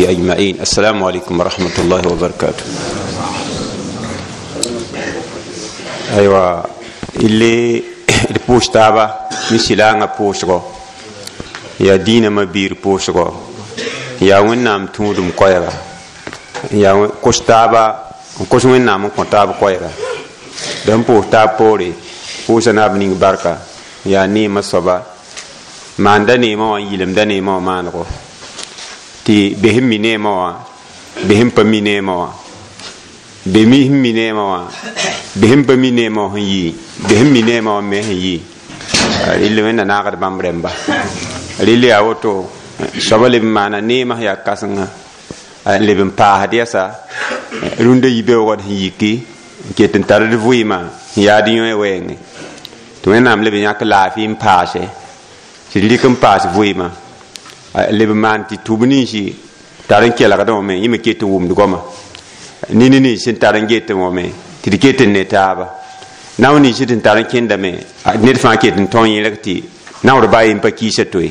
وصحبه أجمعين. السلام عليكم ورحمة الله وبركاته. أيوة اللي البوش تابا مسلانا بوشغو يا دين ما بير بوشغو يا وين تودم كويرا يا كوش تابا كوش وين نام كنتاب كويرا دم بوش تاب بوري بوش ناب نينغ بركة يا نيما صبا ما عندنا نيما ويلم ده نيما ما نقول tɩ bes n mi neemã wã bes n pa mi neemã wã be mi sẽn mi neemã wã bes n pa mi neemã wã sẽn yii bes n mi neemã wã me sẽn yii rɩl wẽnna naagd bãmb rẽmba rɩl yaa woto soaba leb n maana neemã sẽn yaa kãsenga n leb n paasd yɛsa rũndã yibeoogd sẽn yiki n ket n tar d vɩɩmã sẽn yaad yõe wɛɛngẽ tɩ wẽnnaam leb n yãk laafɩ n paase tɩ d rɩk n paas vɩɩmã leb n maan tɩ tʋb ninsi tar n kelgdẽ wame yẽ me ket n wʋmd goama nini nins sẽn tar n getẽ wame tɩ d ket n ne taaba nao nins tɩ n tar n kẽndame ned fãa ket n tõe yẽlg tɩ naoor baa yen pa kiisa toe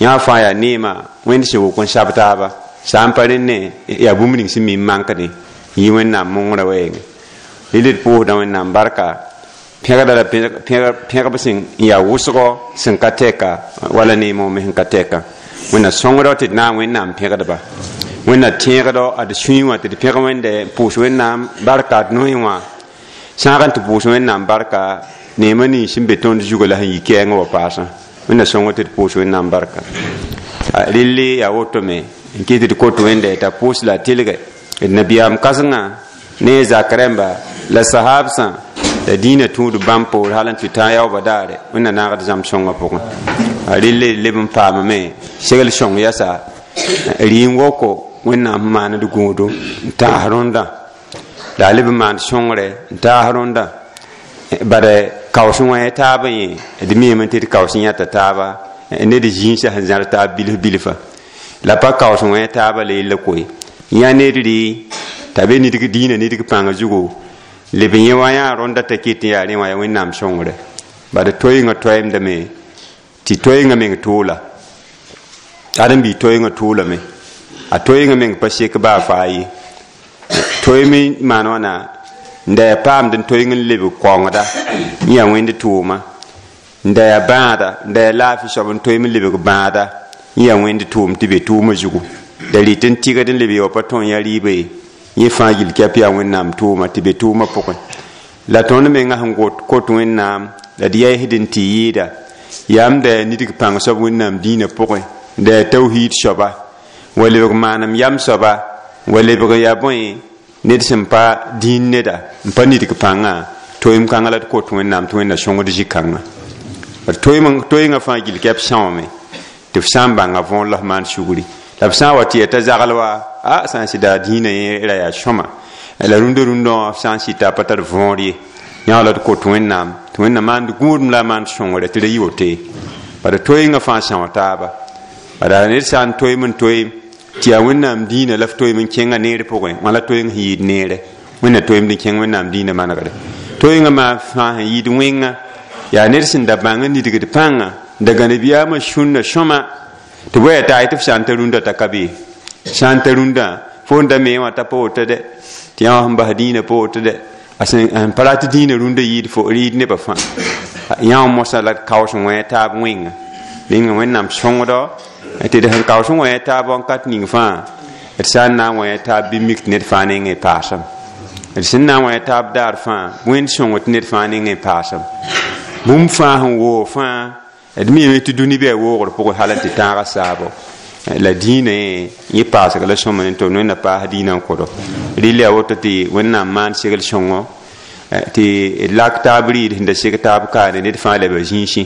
yã fãa yaa neemã wẽnd sẽn wok n sab taaba sã n pa rẽnd yaa bũmb ning sẽn mi n mankdẽ yɩ wẽnnaam mongrã wɛɛngẽ rɩl d pʋʋsdã wẽnnaam barka pẽgda la pẽgb sẽn yaa wʋsgɔ sẽn ka tɛka wala neemã me sẽn ka tɛka wẽnna sõngdɔ tɩ d na n wẽnnaam pẽgdba wẽnna tẽegdɔ ad sũyẽ wã tɩ d pẽg wẽnde pʋʋs wẽnnaam barka d noẽ wã sãag n tɩ pʋʋs wẽnnaam barka neemã nins sẽn be tõnd zugã la sẽn yi kɛɛngã wa paasã wẽnna sõngd tɩ d pʋʋs wẽnnaam barka relle yaa woto me n kɩ tɩ d kot wẽnde t'a pʋʋs la a telge d nabiyaam kãsengã ne a zak rẽmba la sahabsã la dĩinã tũud bãmb poor hal n tɩ tã yaoobã daare wẽnna naagd zãmb sõngã pʋgẽ relle leb n paamame segl sõng yɛsa rɩ n woko wẽnnaam sẽn maand gũudo n taas rõndã la a leb n maand sõngre n taas rõndã bad kaoos wã taabã yẽ d miime tɩ d kaoos yãta taaba ned zĩisã sẽn zãr taab bilf bilfa la pa kaoos wã taaba la yella koe yã ned rɩ t'a be nidg dĩinã nidg pãng zugu leb yẽ wã yaa rõnda t'a ket n yaa rẽ wã yaa wẽnnaam sõngre bad toeengã toɛɛmdame tɩ toeengã meng toola ãdem-biig toeengã toolame a toeengã meng pa sek baa faa ye toeem n maan wãna n da yaa paamd n toeeng n lebg kaongda n yaa wẽnd tʋʋma n da yaa bãada n da yaa laafɩ soab n toeem n lebg bãada n yaa wẽnd tʋʋm tɩ be tʋʋmã zugu da rɩt n tɩgd n leb ya wa pa tõe n yaa rɩɩba ye yẽ fãa yil kɛp yaa wẽnnaam tʋʋma tɩ be tʋʋmã pʋgẽ la tõnd mengã sẽn kot wẽnnaam la d yɛɛsd n tɩ yɩɩda yaa m da yaa nidg pãng soab wẽnnaam dĩinã pʋgẽ da yaa tawhiid soaba wa lebg maanem yam soaba wa lebg yaa bõe ned sẽn pa dĩin neda n pa nidg pãngã toeem kãngã la d kot wẽnnaam tɩ wẽnna sõngd zĩ-kãngã toeengã fãa gil kɛp sãoome tɩ f sã n bãnga võor la f maan sugri la b sã n wa tɩ yaa t'a zagl wa a sã n sɩda dĩinã yẽ ra yaa sõma la rũndã rũndã wã f sã n sɩta pa tar võor ye yã la d kot wẽnnaam tɩ wẽnna maand gũudem la a maand sõngre tɩ ra yi woto ye bala toeengã fãa são taaba bala ned sã n toeem n toeem tɩ yaa wẽnnaam dĩinã la f toeem n kẽngã neer pʋgẽ wã la toeeng sẽn yɩɩd neere wẽnna toeemd n kẽng wẽnnaam dĩinã manegre toeengã maa fãa sẽn yɩɩd wẽnga yaa ned sẽn da bãng n nidgd pãnga n da gãne biyaamã sũnna sõma tɩ bõe yaa t'a tɩ f sã n ta rũndã t'a ka be sã n ta rũndã fo n da mee wã t'a pa woto dɛ tɩ yã wã sẽn bas dĩinã pa woto dɛ a sẽn pa rat dĩinã rũndã yɩɩd fo rɩɩd nebã fãa yã wã mosã la kaoos n wẽ taab wẽnga ninga wẽnnaam sõngdɔ tɩ d sẽn kaoos n wẽ taab wãnkat ning fãa d sã n na n wẽ taab bɩ mik tɩ ned fãa nengẽ paasem d sẽn na n wẽ taab daar fãa wẽnd sõng tɩ ned fãa nengẽ paasem bũmb fãa sẽn woog fãa d miime tɩ dũni bɩ a woogr pʋgẽ hal n tɩ tãagã saabo la dĩinã yẽ paasg la sõma ne tɩ wẽnna paas dĩinã n kʋdo rɩl yaa woto tɩ wẽnnaam maan segl sõngo tɩ d lak taab rɩɩd sẽn da seg taab kaane ned fãa leba zĩisẽ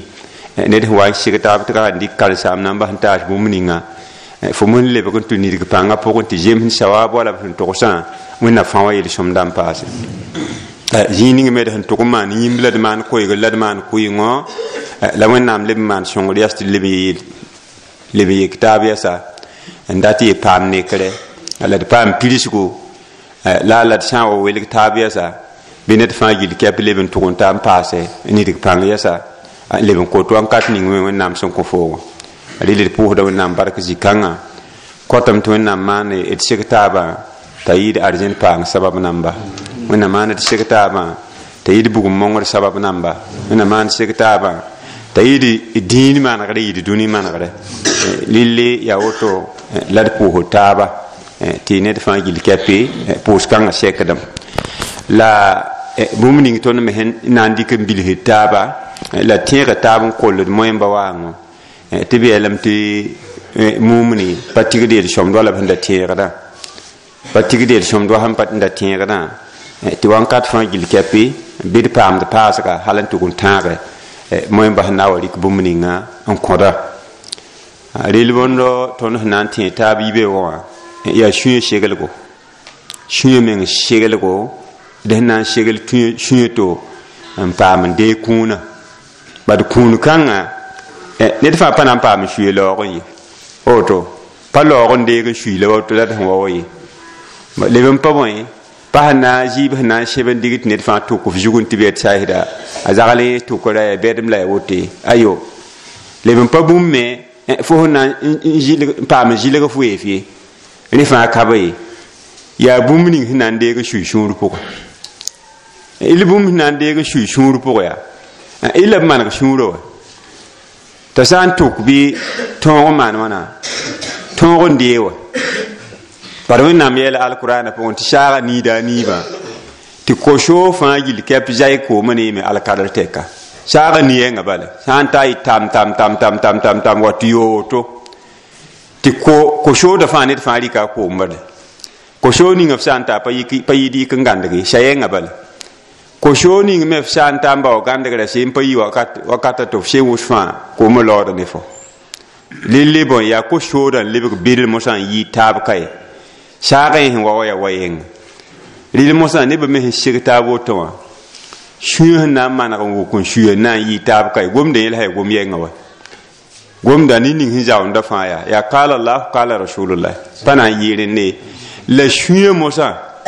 ned sẽn wa n seg taab tɩ ka n dɩk karensaam na n bas n taas bũmb ninga fo n lebg n tʋ nidg pãngã pʋgẽ tɩ zems sawaab wala b sẽn togsã wẽnna fãa wa yel-sõmda n paase zĩig ning me d sẽn tʋg n maan yĩmb la d maan koeegr la d maan kʋɩngõ la wẽnnaam leb n maan sõngr yas tɩ leb n yek taab yɛsa n dat yɩ paam nekre la d paam pirsgu la la d sã n wa welg taab yɛsa bɩ ned fãa gil kɛp leb n tʋg n ta n paase nidg pãng yɛsa leb n kot wãnkat ning me wẽnnaam sẽn kõ foogã rɩl d pʋʋsda wẽnnaam bark zĩ-kãngã Kõtame tɩ Wẽnnaam maan d seg taabã t'a yɩɩd arzẽn paang sabab namba. Wẽnnaam maan d seg taabã t'a yɩɩd bugum mongr sabab namba. Wẽnnaam maan d seg taabã t'a yɩɩd dĩin manegre, yɩɩd dũni manegre. Lille yaa woto la d pʋʋsd taaba tɩ ned fãa gill kɛpɩ pʋʋs-kãngã sekdem. La bũmb ning tõnd me sẽn na n dɩk n bilsd taaba la tẽega taab n koll d moẽmba waango tɩ b yeelame tɩ mumni pa tigd yel sõmd wala b sẽn da tẽegdã, pa tigd yel sõmd wa sẽn pa da tẽegdã, tɩ wãnkat fãa gill kɛpɩ bɩ d paamd paasga hal n tʋg n tãage moẽmba sẽn na n wa rɩk bũmb ninga n kõda. Rel bõndo tõnd sẽn na n tẽ taab yibe wã yaa sũyã segelgo, sũyã meng segelgo, d sẽn na n segl sũyã to n paam n deeg kũunã. Bad kũun kãngã ned fãa pa na n paam n suye laoog n ye, woto pa laoog n deeg n sui la woto la d sẽn wa wa ye. Leb n pa bõe pa sẽn na n zɩɩb sẽn na n seb n dig tɩ ned fãa tʋk f zug n tɩ b yet saasda a zagl n tʋkra ya bɛdem la ya wote ayo. Leb n pa bũmb me fo sẽn na n paam n zɩlg f weef ye, rẽ fãa ka be ye. Yaa bũmb ning sẽn na n deeg n sui sũur pʋgẽ. Il bũmb sẽn na n deeg n sui sũur pʋgẽ yaa il la b maneg sũurã wa t'a sã n tʋk bɩ tõog n maan wãna tõog n dee wa. Bad Wẽnnaam yeela alkurana pʋgẽ tɩ saaga niida a niibã tɩ ko-soog fãa gill kɛp zay koomã neeme alkadr tɛka. Saaga ni-yɛngã bala sã n ta yɩ tam tam tam tam tam tam tam wa tɩ yoo woto tɩ ko-soogda fãa ned fãa rɩka a koom bala. Ko-soog ninga f sã n ta pa yɩɩd yik n gãndg ye sa-yɛngã bala. Ko-soog ning me f sã n ta n bao gãndgrã seen pa yi wakata tɩ f seen wʋs fãa koomã laooda ne fo. Lille bõe yaa ko-soodã n lebg bɩdl mosã n yɩɩd taab ka ye. Saagã yẽ sẽn wa wa yaa wa yẽnga. Rɩl mosã nebã me sẽn seg taab woto wã sũyã sẽn na n maneg n wʋk n suya n na n yɩɩd taab ka ye. Gomdã yẽl sã yaa gom yɛngã wa. Gomda ne ning sẽn zaoonda fãa yaa yaa kaala Allah kaala rasulullah pa na n yɩɩ rẽnde. La sũyã mosã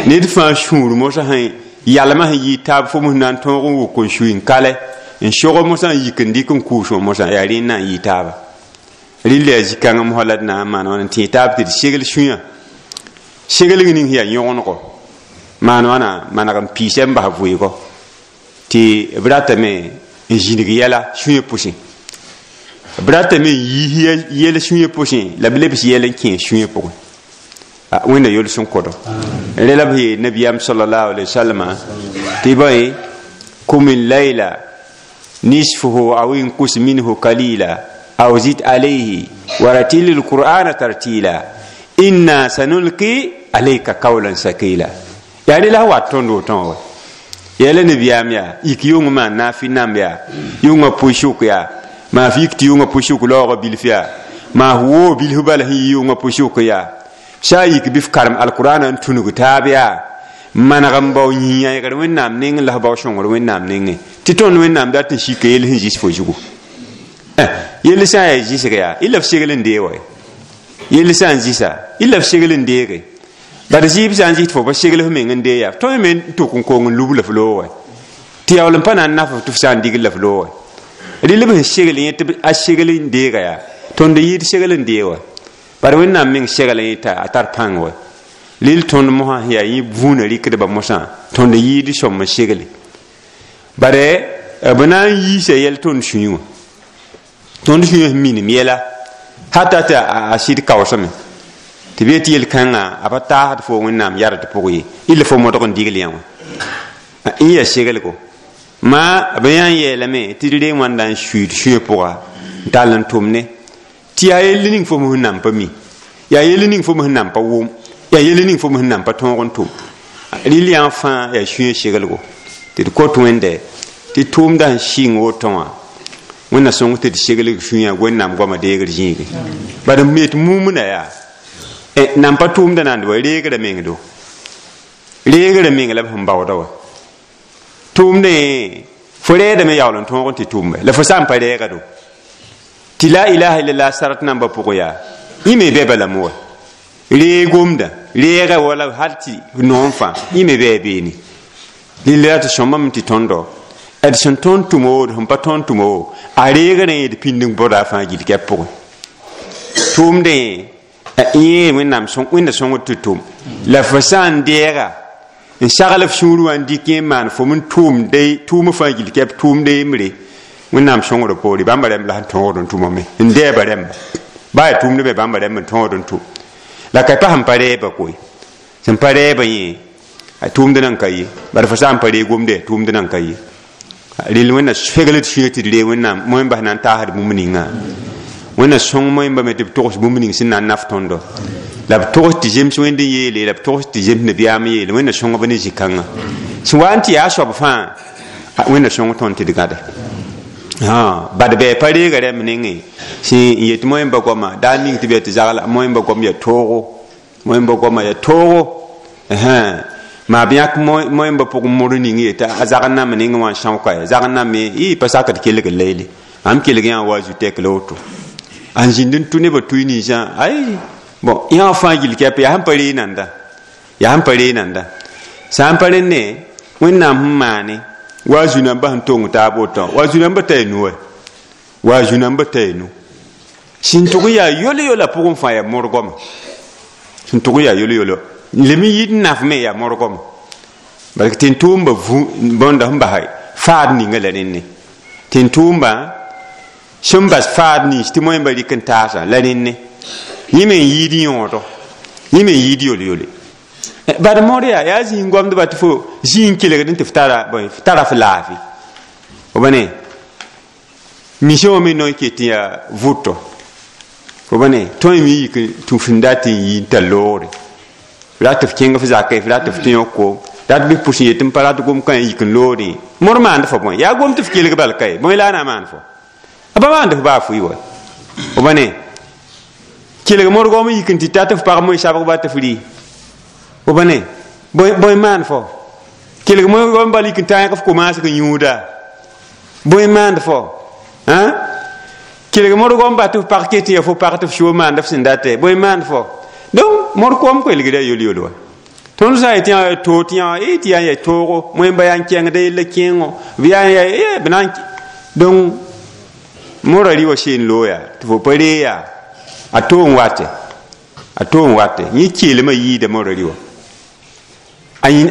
ned fãa sũur mosã sẽn yalmã sẽn yɩɩd taab fo mos na n tõog n wʋk n sui n kalɛ n sog mosã n yik n dɩk n kʋʋs wã mosã yaa rẽnd na n yɩɩ taaba. Rɩl yaa zĩ-kãngã mosã la d na n maan wãna n tẽ taab tɩ d segl sũyã. Seglg ning sẽn yaa yõgenego maan wãna maneg n piisa n bas vʋɩɩgɔ tɩ b ratame n zĩnig yɛla sũyã pʋsẽ, b ratame n yiis yɛl sũyã pʋsẽ la b lebs yɛl n kẽes sũyã pʋgẽ. Wẽnna yols n kodo. Rẽ la b yeel nabiyaam sallallahu alaihi wasallam tɩ bõe kum layla nisfuhu aw inqus minhu kalila aw zid alayhi waratil alqur'ana tartila inna sanulqi alayka qawlan sakila. Yaa rẽ la wat tõnd wotõ wa. Yeela nabiyaam yaa yik yʋng maan naafi namb yaa yʋngã pʋɩ-sʋk yaa maa f yik tɩ yʋngã pʋɩ-sʋk laoogã bilf yaa maa f woo bilf bala sẽn yɩ yʋngã pʋɩ-sʋk yaa sã n yik bɩ f karem alkurana n tũnug taab yaa maneg n bao yĩ-yãegr Wẽnnaam nengẽ la f bao sõngr Wẽnnaam nengẽ tɩ tõnd Wẽnnaam dat n sika yell sẽn zis fo zugu. Yell sã n yaa zɩsg yaa y la f segl n dee wa, yell sã n zɩsa y la f segl n deege. Bad zɩɩb sã n zɩs tɩ fo pa segl f meng n dee yaa tõe me n tʋk n kong n lub la f loog wa tɩ yaool n pa na n naf f tɩ f sã n digl la f loog wa. Rɩl b sẽn segl yẽ tɩ a segl n deega yaa tõnd yɩɩd segl n dee wa. Bad Wẽnnaam meng segl yẽ t'a a tar pãng wa. Lil tõnd mosã sẽn yaa yẽ vũunã rɩkdbã mosã tõnd yɩɩd sõm n segle. Bare b na n yiisa yɛl tõnd sũyẽ wã. Tõnd sũyã sẽn minim yɛla hata tɩ a sɩd kaoosame tɩ b yet yel-kãngã a pa taasd fo Wẽnnaam yard pʋg ye illa fo modg n digl yã wã n yaa seglgo. Maa b yã n yeelame tɩ d ree wãnda n suiid sũyã pʋga n tall n tʋm ne tɩ yaa yell ning fo sẽn nan pa mi, yaa yell ning fo sẽn nan pa wʋm, yaa yell ning fo sẽn nan pa tõog n tʋm. Rɩl yã fãa yaa sũyã seglgo tɩ d kot Wẽnde tɩ tʋʋmda sẽn sɩng woto wã Wẽnna sõng tɩ d seglg sũyã Wẽnnaam goamã deegr zĩige. Bad m yet mumna yaa nan pa tʋʋmda nand wa reegrã meng do, reegrã meng la b sẽn baooda wa. Tʋʋmdẽ fo reedame yaool n tõog n tɩ tʋʋmbe la fo sã n pa reega do tɩ la ilaha illallah sarat nambã pʋgẽ yaa yẽ me bɛ balame wa. Reeg gomdã reega wala hal tɩ noom fãa yẽ me bɩ a beene. Rɩl ra tɩ sõmbame tɩ tõndo d sẽn tõnd tʋm o d sẽn pa tõnd tʋm o a reegrã yẽ d pĩnd n bõda a fãa gill kɛp pʋgẽ. Tʋʋmdẽ Yẽ Wẽnnaam Wẽnda sõngd tɩ tʋm la fo sã n deega n sagl f sũur wã n dɩk yẽ n maan fo n tʋʋmde tʋʋm fãa gill kɛp tʋʋmde yembre Wẽnnaam sõngd poore bãmba rãmb la sẽn tõogd n tʋmame n dɛɛba rãmba baa yaa tʋʋmd be bãmba rãmb n tõogd n tʋm la ka pa sẽn pa rɛɛba koe sẽn pa rɛɛba yẽ a tʋʋmd nan ka ye bara fo sã n pa reeg gomde tʋʋmd nan ka ye rel Wẽnna fegl d sũyã tɩ d reeg Wẽnnaam moẽmba sẽn na n taasd bũmb ninga Wẽnna sõng moẽmba me tɩ b togs bũmb ning sẽn na n naf tõndo la b togs tɩ zems Wẽnd n yeele la b togs tɩ zems nabiyaam yeele Wẽnna sõngb ne zĩ-kãngã sẽn wa n tɩ yaa soab fãa Wẽnna sõng tõnd tɩ d gãde bad bɩ pa reega rãmb nengẽ sẽn n yet moẽmba goama daar ning tɩ b yaa tɩ zagla moẽmba goam yaa toogo moẽmba goama yaa toogo maa b yãk moẽmba pʋgẽ mor ning yetɩ a zagl name nengẽ wã n sãoka ya zagl name y pa sakd kelg leele ãmb kelg yã wa zu tɛk la woto n zĩnd n tʋ nebã tʋɩ ninsã ay bon yã fãa gill kɛp yaa sẽn pa ree nanda yaa sẽn pa ree nanda sã n pa rẽnne Wẽnnaam sẽn maane wa zu-nambã sẽn tong taab woto wa zu-nambã t'a y nu wa zu-nambã t'a y nu sẽn tʋg n yaa yol-yola pʋgẽ fãa yaa morgame sẽn tʋg n yaa yol-yolo lem n yɩɩd n nafme yaa morgame parce que tɩ n tʋʋmba bõnda sẽn basa faad ninga la rẽnne tɩ n tʋʋmba sẽn bas faad nins tɩ moẽmba rɩk n taasa la rẽnne yẽ me n yɩɩd yõodo yẽ me n yɩɩd yol-yole bad mor yaa yaa zĩig goamdba tɩ fo zĩig n kelgd n tɩ f tara f tara f laafɩ fo ba ne mission wã me no n ket n yaa vʋto fo ba ne tõe me yik tũ f sẽn dat n yi n tar loogre f rat f kẽng f zakẽ f rat f tũ yõk koom rat bɩ pʋs n yet n pa rat gom kã n yik n loodẽ mor maand fo bõe yaa gom tɩ f kelg bal ka ye bõe la a na maan fo a pa maand f baa fʋɩ wa fo ba ne kelg mor goam n yik n tɩ tat f pag moe sabg ba tɩ f rɩ fo ba ne bõe maan fo kelg moe goam bal yik n tãag f komaasg n yũuda bõe maand fo kelg mor goam ba tɩ f pag ket n yaa fo pag tɩ f soo maand f sẽn date bõe maand fo donc mor koam koelgda yol-yol wa tõnd sã n yetɩ yã too tɩ yã tɩ yaa n yaa toogo moẽmba yaa n kẽngda yella kẽengo b yaa n yaa b na n donc mora rɩ wa seen looya tɩ fo pa ree yaa a too n wate a too n wate yẽ keelmã yiida mora rɩ wa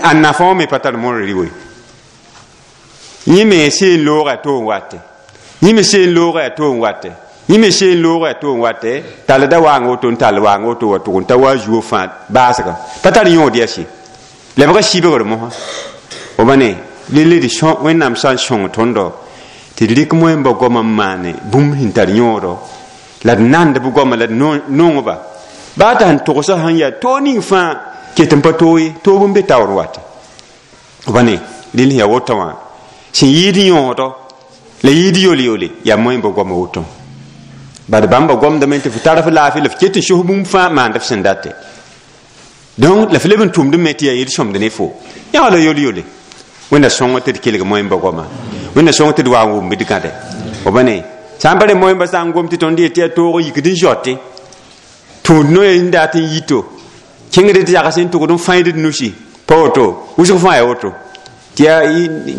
a nafã wã me pa tar mora rɩ wa yẽ me seen looga a too n wate yẽ me seen looga a too n wate yẽ me seen looga a too n wate tall da waang woto n tall waang woto wa tʋg n ta wa zuo fãa baasga pa tar yõod yaa sɩ lebga sibgr mosã fo ba ne lele d Wẽnnaam sã n sõng tõndo tɩ d rɩk moẽmba goamã n maane bũmb sẽn tar yõodo la d nand b goama la d nongba baa t'a sẽn togsã sẽn yaa toog ning fãa ket n pa toog ye toog n be taoor wate fo ba ne rel sẽn yaa woto wã sẽn yɩɩd yõodo la yɩɩd yol-yole yaa moẽmba goamã woto bad bãmba goamdame tɩ f tar f laafɩ la f ket n sos bũmb fãa maand f sẽn date donc la f leb n tʋmd me tɩ yaa yel-sõmd ne fo yã la yol-yole Wẽnna sõng tɩ d kelg moẽmba goama Wẽnna sõng tɩ d wa n wʋmb d gãde fo ba ne sã n pa re moẽmba sã n gom tɩ tõnd yetɩ yaa toog n yikd n zote tũud noe n dat n yito kẽngd d yags n tʋgd n fãid d nusi pa woto wʋsg fãa yaa woto tɩ yaa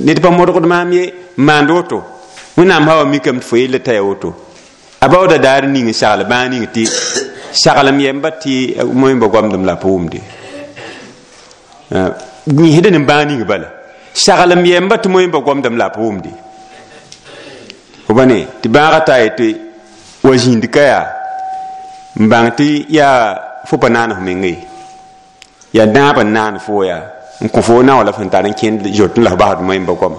ned pa modgd maam ye n maand woto Wẽnnaam sã wa mikame tɩ fo yella t'a yaa woto a baooda daar ning n sagl bãag ning tɩ saglem yɛmba tɩ moẽmba goamdem la pa wʋmde yẽsd ne bãag ning bala saglem yɛmba tɩ moẽmba goamdem la pa wʋmde fo ba ne tɩ bãagã ta yetɩ wa zĩnd ka yaa n bãng tɩ yaa fo pa naan f meng ye yaa naab n naan fo yaa n kõ fo nao la f sẽn tar n kẽnd zot n la f basd moẽmba goama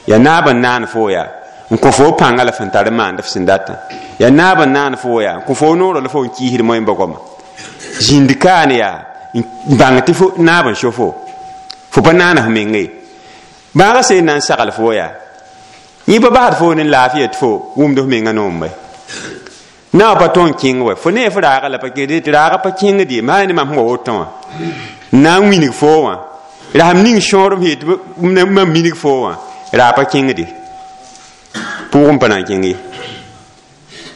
yaa naab n naan fo yaa n kõ fo pãnga la f sẽn tar n maand f sẽn datã yaa naab n naan fo yaa n kõ fo noorã la fo n kiisd moẽmba goama zĩnd kaane yaa n bãng tɩ fo naab n so fo fo pa naan f meng ye bãagã sẽn na n sagl fo yaa yẽ pa basd fo ne laafɩya tɩ fo wʋmd f menga noombe na pa tõn kẽng wa fo ne f raaga la pa kẽd tɩ raaga pa kẽngd ye maa ne mam sẽn wa wotõ wã n na n wilg foo wã rasem ning sõor m yet mam minig foo wã raa pa kẽngde pʋʋgẽ pa na n kẽng ye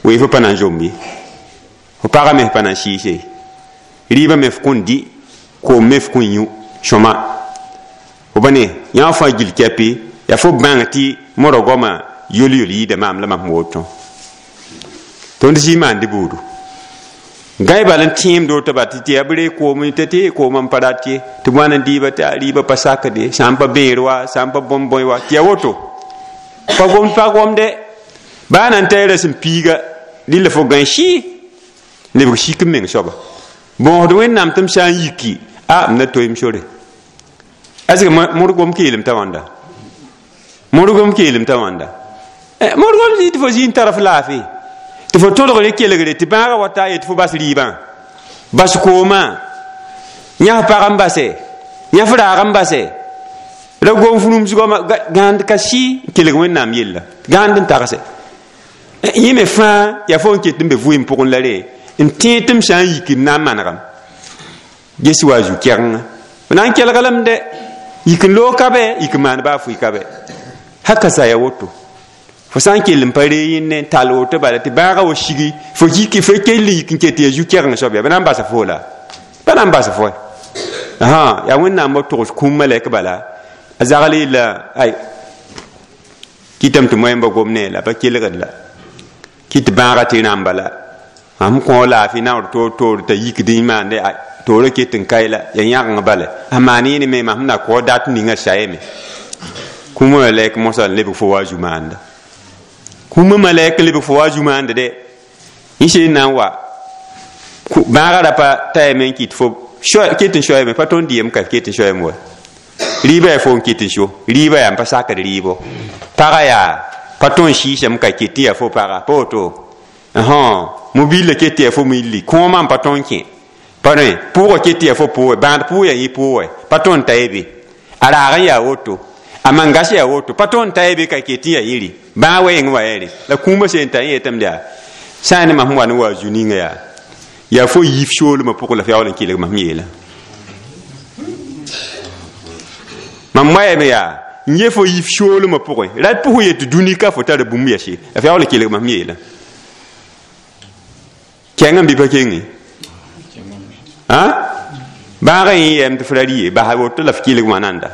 weefo pa na n zomb ye fo pagã me f pa na n sɩɩse ye rɩɩbã me f kõn dɩ koom me f kõn yũ sõma fo pa ne yã fãa gill kɛpɩ yaa fo bãng tɩ mora goamã yol-yol yɩɩda maam la mam sẽn woto tõnd zĩ maand buudu Gãe bal n tẽemd woto ba tɩ tɩ ya b ree koom tɩ tɩ koomã n pa rat ye tɩ b wa n dɩɩba tɩ a rɩɩbã pa sakde sã n pa bẽer wa sã n pa bõn-bõe wa tɩ ya woto pa gomd pa gomde baa na n ta ra sẽn piiga rɩla fo gãe sɩ lebg sik n meng soaba bõosd wẽnnaam tɩ m sã n yiki a m na toeem sore est ce que modgom keelem t'a wãnda modgom keelem t'a wãnda modgom zĩ tɩ fo zĩ n tara f laafɩ tɩ fo tõdgre kelgre tɩ bãaga wa ta ye tɩ fo bas rɩɩbã bas koomã yãs pag n base yãf raag n base ra gom fũrumsgɔma gãand ka sɩ n kelg wẽnnaam yella gãand n tagse yẽ me fãa yaa fo n ket n be vʋɩɩm pʋgẽ la re n tẽeg tɩ m sã n yiki m na n manegame ges wa zu-kɛgenga b na n kelg lame dɛ yik n loog ka bɛ yik n maan baa fʋɩ ka bɛ haka sa ya woto fo sã n kell n pa ree yẽnne n tall woto bala tɩ bãagã wa sigi fo yiki fo kell n yik n ket tɩ ya zu-kɛgeng soab yaa ba na n basa fo la ba na n basa fo yaa wẽnnaam wa togs kũum malɛk bala a zagl yella ay kɩtame tɩ moẽmba gom ne la pa kelgd la kɩ tɩ bãagã tɩ rãmba la m kõ laafɩ naoor toor toor t'a yikd n maande toorã ket n kae la ya yãgeng bala a maan yẽne me mam na kõ dat ninga sayame kũumã malɛk mosã n lebg fo wa zu maanda kũumã malɛk n lebg fo wa zu maanda dɛ yẽ sẽn na n wa bãagã ra pa tayame n kɩt fo ket n soayame pa tõnd dɩyem ka ket n soayame wa rɩɩbã yaa fo n ket n so rɩɩbã yaa n pa sakd rɩɩbo pagã yaa pa tõnd sɩɩsame ka ket n yaa fo paga pa woto mobile ket tɩ yaa fo milli kõomã n pa tõnd kẽ pa rẽ pʋʋgã ket tɩ yaa fo pʋʋgɛ bãad pʋʋg yaa yẽ pʋʋgɛ pa tõnd ta ye be a raag n yaa woto a mangas yaa woto pa tõnd ta ye be ka ket n yaa yĩri bãag wa yẽng wa yɛre la kũumã sẽn ta yẽ yetame yaa sã n ne mam sẽn wa ne wa zu ninga yaa yaa fo yif soolmã pʋgẽ la f yaool n kelg mam yeela mam wayame yaa n ye fo yif soolmã pʋgẽ ra pʋsẽ yetɩ dũni ka fo tara bũmb yase la f yaool n kelg mam yeela kẽng n bɩ pa kenge bãagã yẽ yɛm tɩ f ra rɩ ye basa woto la f kelg wã nanda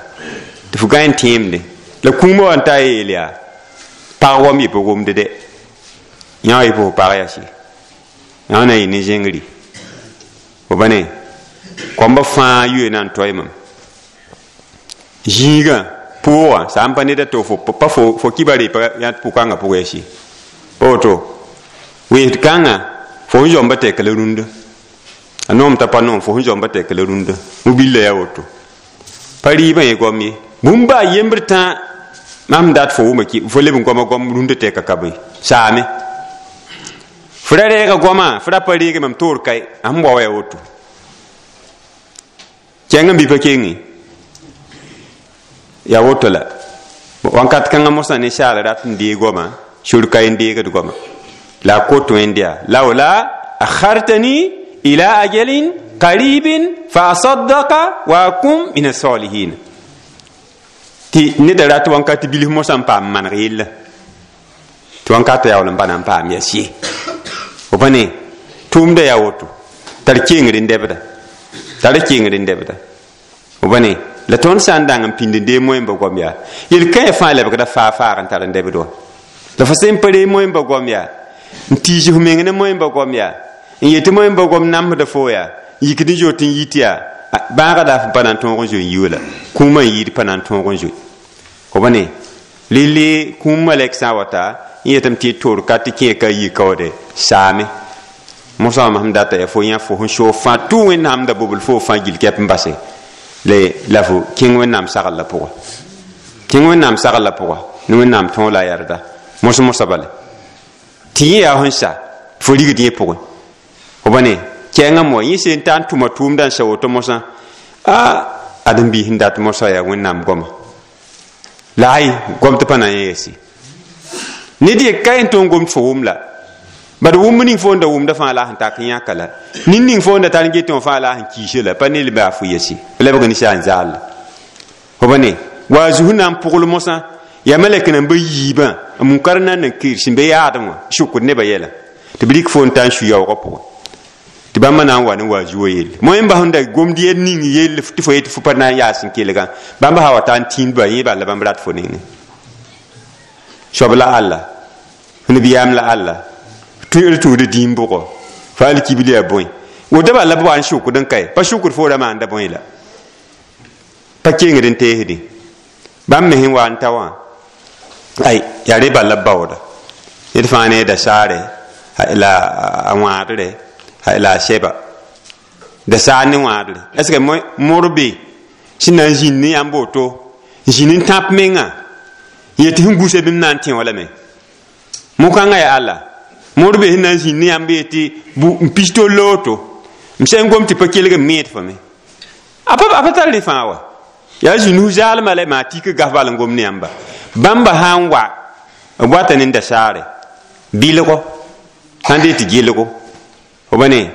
tɩ f gã n tẽemde la kũumã wa n ta yeel yaa pag wam yɩ pa gomde dɛ yã wa yɩ pa fo pag yase yã na yɩ ne zẽngri fo ba ne kõmba fãa yoe na n toɛ mam zĩigã pʋʋgã sã n pa neda to fo pa fo kiba re pa yã pʋkãngã pʋgã yase pa woto wẽsd kãngã fo sẽn zoamba tɛk la rũndã a noom t'a pa noom fo sẽn zoamba tɛk la rũndã mobillã yaa woto pa rɩɩbã yẽ goam ye bũmb baa yembr tã mam dat fo wʋma fo leb n goama goam rũndã tɛka ka bõe saame fo ra reega goamã fo ra pa reege mam toor kae a sẽn wa yaa woto kẽng n bɩ pa kenge yaa woto la wãnkat kãngã mosã ninsaal rat n deeg goamã sor kae n deegd goamã la a kot wẽnd yaa laola akhartani ila ajalin qaribin fa asaddaka wa akum min asalihin tɩ neda rat wãnkat bilf mosã n paam maneg yella tɩ wãnkata yaool n pa na n paam yaa sie fo pa ne tʋʋmda yaa woto tar kengr n dɛbda tar kengr n dɛbda fo pa ne la tõnd sã n dãng n pĩnd n deeg moẽmba goam yaa yel-kãe fãa lebgda faa faag n tar n dɛbd wã la fo sẽn pa reeg moẽmba goam yaa n tiis f meng ne moẽmba goam yaa n yetɩ moẽmba goam namsda fo yaa n yikd n zoet n yit yaa bãaga la f pa na n tõog n zoe n yi la kũumã n yɩɩd pa na n tõog n zoe fo pa ne relle kũum malɛk sã n wata n yetame tɩ toor ka tɩ kẽer ka yi kaoode saame mosã wã sẽn data yaa fo yã fo sẽn soog fãa tʋ wẽnnaam da bobl fo fãa gill kɛp n base la fo kẽng wẽnnaam sagl la pʋga kẽng wẽnnaam sagl la pʋga ne wẽnnaam tõog la a yarda mos mosã bala tɩ yẽ yaa sẽn sa fo rigd yẽ pʋgẽ fo pa ne kɛɛngã moa yẽ sẽn ta n tʋma tʋʋmdã n sa woto mosã a ãdem-biis n dat mosã yaa wẽnnaam goama la ay goam tɩ pa na n yɛɛse ned ye ka yẽn tõnd gomd fo wʋm la bad wʋmb ning fo n da wʋmda fãa la sẽn tak n yãka la nin ning fo n da tar n get wã fãa la sẽn kiise la pa ne baa fo yɛse lebg ninsaal n zaal la fo pa ne wa a zus na n pʋgl mosã yaa malɛk nambã yiibã a munkar na n kir sẽn be yaadem wã sʋkd nebã yɛla tɩ b rɩk fo n ta n su yaoogã pʋgẽ tɩ bãmba na n wa ne wa zuo yelle moẽmba sẽn da gomd yel ning yell tɩ fo yetɩ fo pa na n yaas n kelgã bãmba sã wa ta n tĩindba yẽ bala bãmb rat fo nengẽ soab la alla nabiyaam la alla d tʋʋd dĩim bʋgɔ Fa alkibli yaa bõe woto bala la b wa n sʋkd n kae pa sʋkd fo ra maanda bõe la pa kengd n teesdẽ bãmb me sẽn wa n ta wã ay yaa re bala b baooda ned fãa ne dasaare la a wãadre la a sɛba dasaar ne wãadre est ce que mor be sẽn na n zĩnd ne yãmb woto n zĩnd n tãp menga n yet sẽn gũsa bĩmb na n tẽ wã lame mo-kãngã yaa alla mor be sẽn na n zĩnd ne yãmb yetɩ n pis tol la woto m sã n gom tɩ pa kelg n meed fo me a pa tar rẽ fãa wa yaa zĩnd zaalmã la maa tik gaf bal n gom ne yãmba bãmba sã n wa b wata ne dasaare bilgo sãn dee tɩ gelgo fo ba ne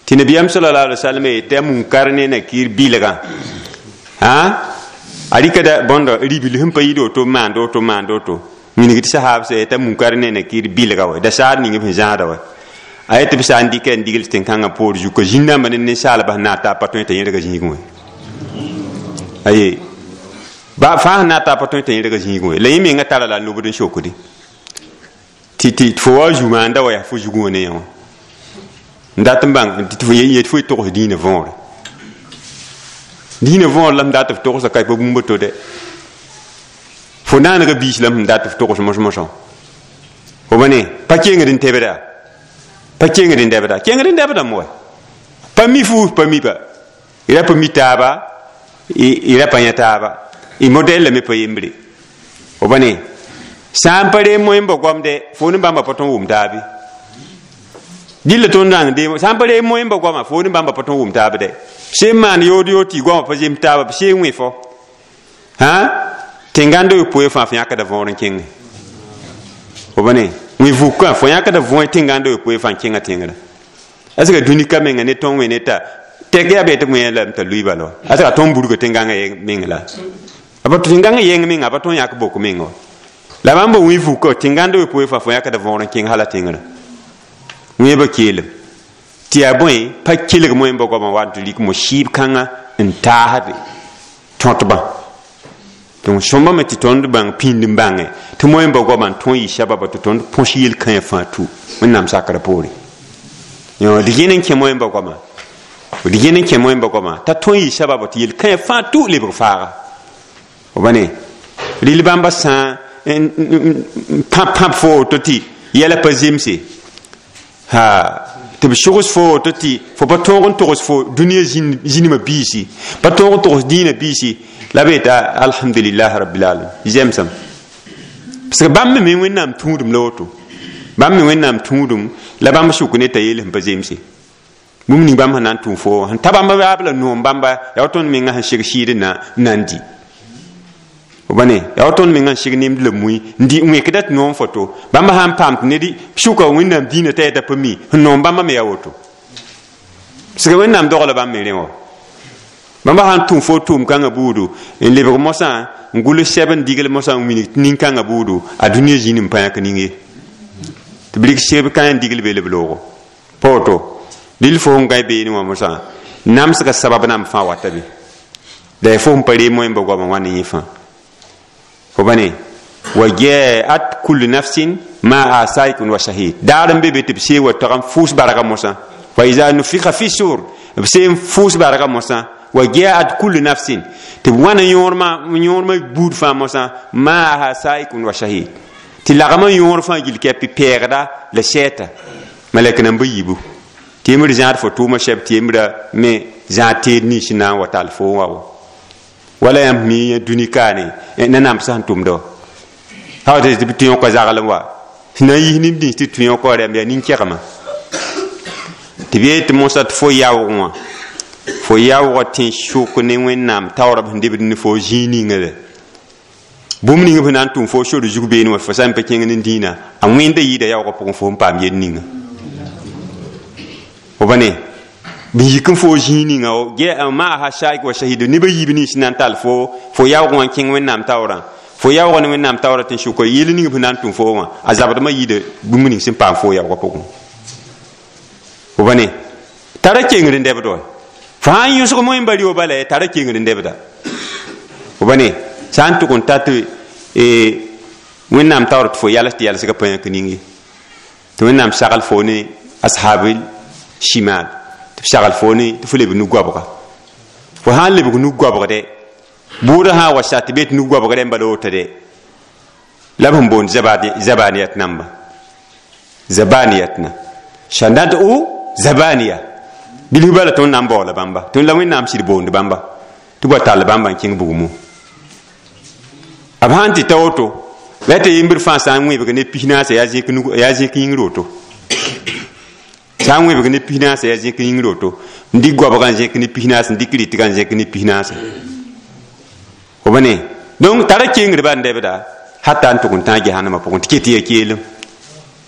tɩ nabiyaam sallallahu alaihi wasallam yetɩ a munkar ne nakir bilgã a rɩkda bõndo ribil sẽn pa yid woto maand woto maand woto wilg tɩ sahab sã yetɩ a munkar ne nakir bilga wa dasaar ning b sẽn zãada wa a yetɩ b sã n dɩka n digl tẽn-kãngã poor zuka zĩn-dãmba ne ninsaalbã sẽn na n taa pa tõe t'a yẽrga zĩigẽ wã aye ba fãa sẽn na n taa pa tõe t'a yẽrga zĩigẽ wã la yẽ menga tara la n lobd n sokdi tɩ fo wa zu maanda wa yaa fo zugẽ wã ne yã wã n dat n bãng tɩ fo yet fo y togs dĩinã võore dĩinã võor la m dat f togsa ka pa bũmb to dɛ fo naanega biis la m dat f togs mos-mosã fo ba ne pa kengd n tebda pa kengd n dɛbda kengd n dɛbdame wa pa mi fuus pa mi pa y ra pa mi taaba y ra pa yã taaba y modɛl lame pa yembre fo ba ne sã n pa reem moẽmba goamdɛ fo ne bãmba pa tõe n wʋm taabe dɩlla tõnd rãng deem sã n pa reem moẽmba goama fo ne bãmba pa tõe n wʋm taab dɛ sẽn maan yood yood tɩ goamã pa zem taaba b seen wẽ fo hã tẽngãnd yopoe fãa fo yãkda võor n kẽngẽ fo ba ne wẽ vukã fo yãkda võe tẽngãnd yopoe fãa n kẽngã tẽngrã est ce que dũni ka menga ne tõnd wẽ ne t'a tɛk yaa bee tɩ wẽ lame t'a lʋɩ bala wa est ce que a tõnd burga tẽngãngã meng la a pa tẽngãngã yẽng menga a pa tõnd yãk bok menga wa la bãmb wẽ vukã tẽngãnd yopoe fãa fo yãkda võor n kẽng hala tẽngrã wẽebã keelem tɩ yaa bõe pa kelg moẽmba goamã wa n tɩ rɩk mo-sɩɩb kãngã n taasde tõtbã donc sõmbame tɩ tõnd bãng pĩnd n bãngẽ tɩ moẽmba goamã n tõe n yɩ sababa tɩ tõnd põs yel-kãyã fãa tu Wẽnnaam sakrã poore d yẽn n kẽ moẽmba goamã d yẽn n kẽ moẽmba goamã t'a tõe n yɩ sababa tɩ yel-kãyã fãa tu lebg faaga fo ba ne rɩl bãmba sã n pãb pãb fo woto tɩ yɛla pa zemse ha tɩ b sogs fo woto tɩ fo pa tõog n togs fo dũniyã zĩnimã biisi pa tõog n togs dĩinã biisi la b yeta alhamdulillah rabbil alamin zemsem parce que bãmb me Wẽnnaam tũudum la woto bãmb me Wẽnnaam tũudum la bãmb sʋk ne t'a yeel sẽn pa zemse bũmb ning bãmb sẽn na n tũu fo sẽn ta bãmb yaab la noom bãmba yaa wa tõnd menga sẽn seg sɩɩd n na n di fo ba ne yaa wa tõnd menga n seg nemd la mui n di n wẽkda tɩ noom foto bãmb sã n paam tɩ ned sʋka Wẽnnaam dĩinã t'a yeta pa mi sẽn noom bãmba me yaa woto parce que Wẽnnaam dogla bãmb me rẽ wã bãmba sã n tũm fo tʋʋm kãngã buudu n lebg mosã n gʋls sɛb n digl mosã n wilg nin-kãngã buudu a dũniyã zĩnd n pa yãk ning ye tɩ b rɩk sɛb kãe n digl be la b loogo pa woto dɩl fo sẽn gãe beene wã mosã namsga sabab namb fãa wata be la ya fo sẽn pa reem moẽmba goamã wã ne yẽ fãa fo ba ne wa jaat kullu nafsin maa saikun wa shahid daar n be be tɩ b see wa tag n fʋʋs barga mosã fa iza nufika fi sur b see n fʋʋs barga mosã wa jaat kullu nafsin tɩ b wãna yõormã buud fãa mosã maaha saikun wa shahid tɩ lagmã yõor fãa gill kɛpɩ pɛɛgda la sɛɛta malɛk namba yiibu tɩ yembr zãad fo tʋʋmã sɛb tɩ yembra me zãad teed nins na n wa tall fo n wa wa wala yãmb mi yã dũni kaane nanam sã n tʋmda wa sã tɩ tɩ yõka zaglem wa sẽn na n yis neb nins tɩ tũ yõka rɛmb yaa nin-kɛgmã tɩ b yeel tɩ mosã tɩ fo yaoog wã fo yaoogã tẽ sʋk ne Wẽnnaam taoorã b sẽn debd ne fo zĩig ninga la bũmb ning b sẽn na n tʋm fo sor zug beene wã fo sã n pa kẽng ne dĩinã a wẽnda yɩɩda yaoogã pʋgẽ fo n paam yel ninga fo ba ne b yik n fo zĩig ninga maaha saik wa shahid neb a yiib nins na n tall fo fo yaoog wã n kẽng Wẽnnaam taoorã fo yaoogã ne Wẽnnaam taoorã tɩ n sʋka yel ning b sẽn na n tʋm fo wã a zabdmã yɩɩda bũmb ning sẽn paam fo yaoogã pʋgẽ fo ba ne tara kengr n dɛbd wa fo sã n yõsg moẽmba rɩ bala tara kengr n dɛbda fo ba ne sã n tʋg n ta tɩ Wẽnnaam taoor tɩ fo yals tɩ yalsgã pa yãk ning ye tɩ Wẽnnaam sagl fo ne ashabil Shimal tɩ b sagl fo ne tɩ fo lebg nu-goabga fo sã n lebg nu-goabgdɛ bʋʋdã sã n wa sa tɩ be tɩ nu-goabg rẽmba la woto dɛ la b sẽn boond zabaniyat namba zabaniyatna shandat u zabaniya bilf bala tõnd na n baoola bãmba tõnd la Wẽnnaam sɩd boond bãmba tɩ b wa tall bãmba n kẽng bugmã b sãn tɩ ta woto la tɩ yembr fãa sã n wẽbg ne 14 yaa zẽk yĩngr woto sã n wẽbg ne 14 yaa zẽk yĩngr woto n dɩk goabgã n zẽk ne 14 n dɩk rɩtgã n zẽk ne 14 fo ba ne donc tara kengr ban dɛbda hata n tʋg n tãag jahannamã pʋgẽ tɩ ket yaa keelem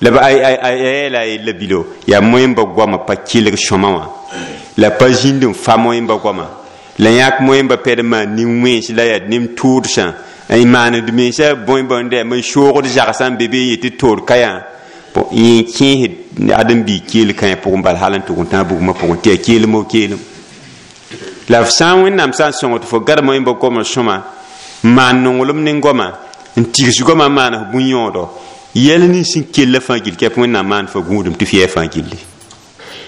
la a yɛɛla a yella bilo yaa moẽmba goamã pa kelg sõma wã la pa zĩnd n fa moẽmba goama la yãk moẽmba pɛd n maan nin-wẽns la yaa nem-tʋʋdsã n maand mensã bõe bõe n soogd zagsã n be be n yetɩ toor ka yã yẽ kẽesd ãdem-biig keel kãyã pʋgẽ bala hal n tʋg n tãag bugmã pʋgẽ tɩ yaa keelem o keelem la f sã n Wẽnnaam sã n sõng tɩ fo gad moẽmba goamã sõma n maan nonglem ne goama n tigs goamã n maan f bũn-yõodo yɛl nins sẽn kella fãa gill kɛp Wẽnnaam maan fo gũudum tɩ f yɛɛ fãa gilli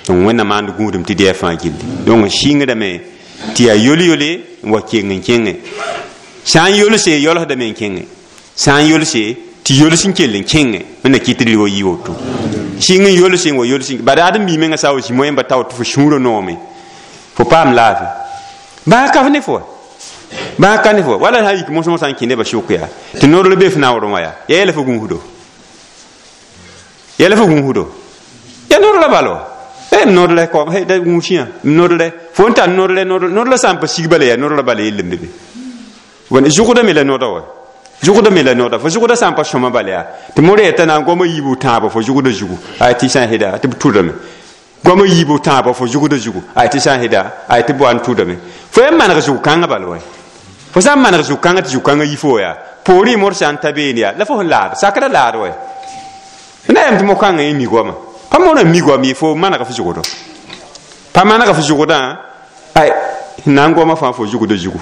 donc Wẽnnaam maand gũudum tɩ d yɛɛ fãa gilli donc sɩngdame tɩ yaa yol-yole n wa keng n kẽngẽ sã n yolse yolsdame n kẽngẽ sã n yolse tɩ yols n kell n kẽngẽ Wẽnna kɩt d wa yɩ woto sɩng n yolse n wa yols bad ãdem-bi menga sã wa zĩ moẽmba tao tɩ fo sũurã noome fo paam laafɩ baa ka f ne fo baa ka ne fo wala sã yik mosmosã n kẽ nebã sʋk yaa tɩ noor be f naoorẽ wã yaa yɛɛla fo gũusdo yɛla fo gũusdo ya noor la bala wa noor la kom da gũusiyã noor la fo n tar noor la noor la sã n pa sig bala yaa noor la bala yell n be be zʋgda me la noda wa zʋgda me la noda fo zʋgda sã n pa sõma bala yaa tɩ mor yeta na n goama yiibu tãabã fo zʋgda zugu ay tɩ sã n sɩda tɩ b tʋdame goama yiibu tãabã fo zʋgda zugu ay tɩ sã n sɩda ay tɩ b wa n tʋdame fo yaa maneg zug-kãngã bala wa fo sã n maneg zug-kãngã tɩ zug-kãngã yi fo yaa poorẽ mor sã n ta beene yaa la fo sẽn laad sakra laad wa na yam tɩ mo-kãngã yẽ mi goama pa morã mi goam ye fo manega f zʋgdɔ pa manega f zʋgdã ay na n goamã fãa fo zʋgda zugu